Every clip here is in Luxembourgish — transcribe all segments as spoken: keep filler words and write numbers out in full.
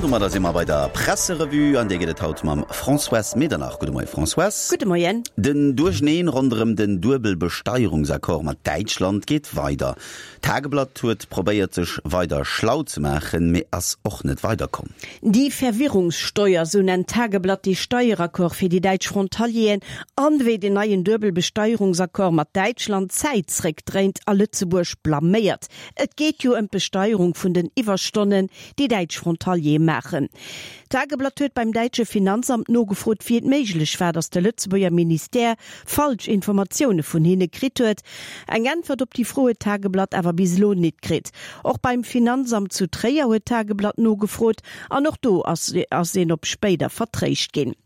Domadder si mer bei der Presserevue, an déi gëtt et haut mam Françoise Medernach. Gudde Moie Françoise. Gudde Moien. Den Duercheneen ronderëm den Duebelbesteierungsaccord mat Däitschland geet weider. D'Tageblatt huet probéiert sech weider schlau ze maachen, mee ass och net weiderkomm. Die Verwirrungssteuer, sou nennt d'Tageblatt dee Steieraccord fir déi däitsch Frontalieren an wéi den neien Duebelbesteierungsaccord mat Däitschland d'Zäit zréckdréint a Lëtzebuerg blaméiert. Et geet jo ëm d'Besteierung vun den Iwwerstonnen, déi däitsch Frontaliere maachen. D'Tageblatt huet beim däitsche Finanzamt nogefrot, wéi et méiglech war, datt de Lëtzebuerger Ministère falsch Informatioune vun hinne kritt huet. Eng Äntwert op déi Fro huet d'Tageblatt awer bis elo nit kritt. Och beim Finanzamt zu Tréier huet d'Tageblatt nogefrot an och do ass ass een op spéider vertréischt ginn.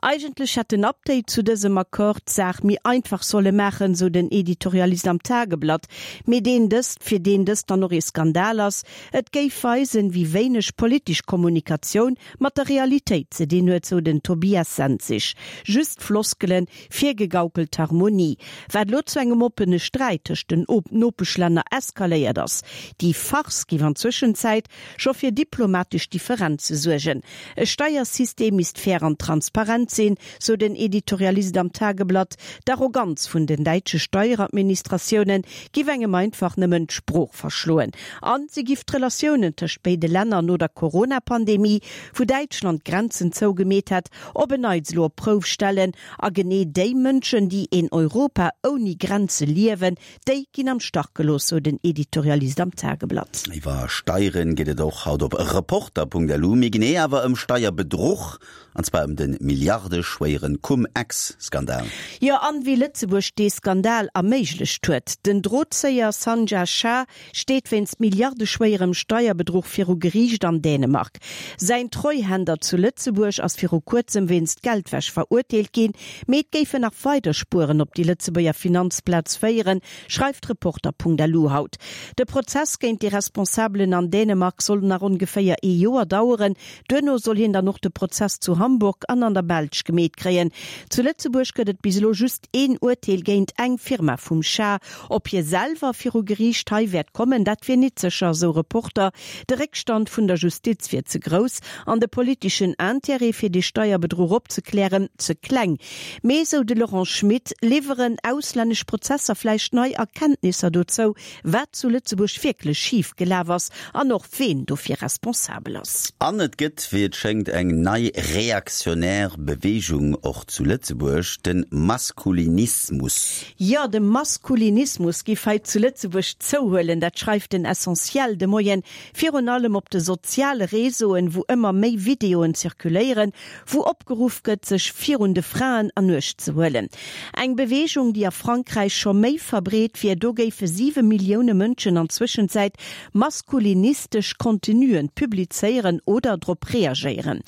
Eigentlech hätt den Update zu dësem Accord d'Saach méi einfach solle maachen, sou den Editorialist am Tageblatt, mee deen dëst, fir deen dëst dann och ee Skandal ass. Et géif weisen, wéi wéineg politesch Kommunikatioun mat der Realitéit ze dinn huet, sou den Tobias Senzig. Just Floskelen, virgegaukelt Harmonie, wat elo zu engem oppene Sträit tëscht den Nopeschlänner eskaléiert ass. Déi Farce géif an Zwëschenzäit scho fir diplomatesch Differenze suergen. E Steiersystem misst fair an transparent sinn, sou den Editorialist am Tageblatt. D'Arroganz vun den däitsche Steieradministratioune giff engem einfach nëmmen d'Sprooch verschloen. An se giff d'Relatiounen tëscht béide Länner no der Corona-Pandemie, wou Däitschland d'Grenzen zougemeet hätt, op en Neits elo op d'Prouf stellen. A genee déi Mënschen, déi een Europa ouni Grenze liewen, déi ginn am Stach gelooss, sou den Editorialist am Tageblatt. Iwwer Steieren geet et och haut op Reporter.lu, méi genee awer ëm Steierbedruch, an zwar ëm de milliardeschwéiere Cum-Ex-Skandal. Jo, an wéi Lëtzebuerg dee Skandal erméiglecht huet. Den Drozéier Sanjay Shah steet wéinst milliardeschwéierem Steierbedruch viru Geriicht an Dänemark. Säin Treuhänder zu Lëtzebuerg ass viru kuerzem wéinst Geldwäsch verurteelt ginn, mee et géifen nach weider Spueren op déi Lëtzebuerger Finanzplaz féieren, schreift Reporter.lu haut. De Prozess géint déi Responsabelen an Dänemark soll nach ongeféier ee Joer daueren. Duerno soll hien dann och de Prozess zu Hamburg an an der Belsch gemeet kréien. Zu Lëtzebuerg gëtt et bis elo just een Urteel géint eng Firma vum Shah. Ob hie selwer viru Geriicht hei wäert kommen, dat wier nit sécher, sou Reporter. De Réckstand vun der Justiz wier ze grouss an de politeschen Intérêt fir dee Steierbedruch opzeklären ze kleng. Mee, sou de Laurent Schmit, liwweren auslännesch Prozesser vläicht nei Erkenntnisser dozou, wat zu Lëtzebuerg wierklech schif gelaf ass an och ween dofir responsabel ass. An et gëtt, wéi et schéngt, eng nei reaktionär Beweegung och zu Lëtzebuerg, de Maskulinismus. Jo, de Maskulinismus géif hei zu Lëtzebuerg zouhuelen, dat schreift den Essentiel de Moien. Virun allem op de soziale Réseauen, wou ëmmer méi Videoen zirkuléieren, wou opgeruff gëtt, sech virun de Fraen an Uecht ze huelen. Eng Beweegung, déi a Frankräich scho méi verbreet wier. Do géife siwe Millioune Mënschen an Zwëschenzäit maskulinistesch Contenuen publizéieren oder drop reagéieren.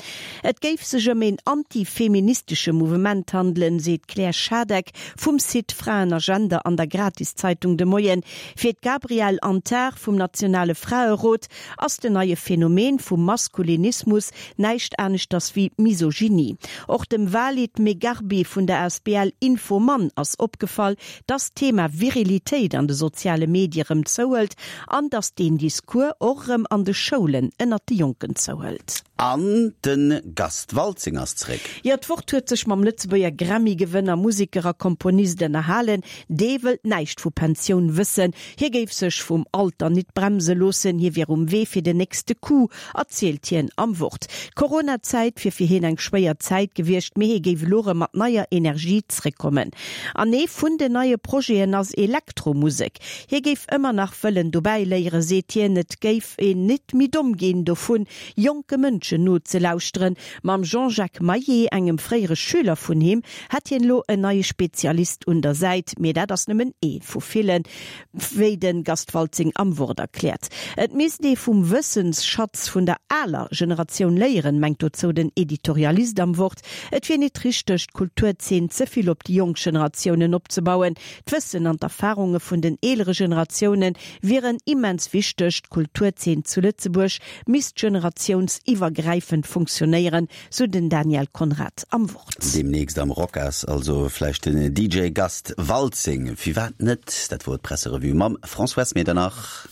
Et géif sech ëm een antifeministesche Mouvement handelen, seet d'Claire Schadeck vum Site Fraen a Gender an der Gratiszeitung De Moien. Fir d'Gabrielle Antar vum nationale Fraerot ass den neie Phänomen vum Maskulinismus näischt aneschters wéi Misogynie. Och dem Walid Megharbi vun der Asbl Infomann ass opgefall, dass d'Thema Virilitéit an de soziale Medie rëm zouhëlt an dass deen Discours och rëm an de Schoulen ënnert de Jonken zouhëlt. An de Gast Waltzing ass zréck. Jo, d'Wort huet sech mam Lëtzebuerger Grammy-Gewënner, Museker a Komponist ënnerhalen. Dee wëllt näischt vu Pensioun wëssen. Hie géif sech vum Alter nit bremse loossen, hie wier um Wee fir den nächste Coup, erzielt hien am Wort. D'Corona-Zäit wier fir hien eng schwéier Zäit gewiescht, mee hie géif elo erëm mat neier Energie zréckkommen. An ee vun den neie Projeten ass Elektromusek. Hie géif ëmmer nach wëllen dobäi léieren, seet hien. Et géif een nit méi domm ginn dovun, jonke Mënschen nozelauschteren. Mam Jean-Jacques Maillet, engem fréiere Schüler vun him, hätt hien elo en neie Spezialist un der Säit. Mee dat ass nëmmen ee vu villen, wéi de Gast Waltzing am Wort erkläert. Et misst ee vum Wëssensschatz vun der aler Generatioun léieren, mengt dozou den Editorialist am Wort. Et wier nit richteg, d'Kulturzeen ze vill op déi jonk Generatiounen opzebauen. D'Wëssen an d'Erfarunge vun den eelere Generatioune wieren immens wichteg. D'Kulturzeen zu Lëtzebuerg misst generatiounsiwwergräifend funktionéieren, sou den Daniel Conrad am Wort. Deemnächst am Rocas also vläicht den D J Gast Waltzing, firwat net? Dat wor d'Presserevue mam Françoise Medernach.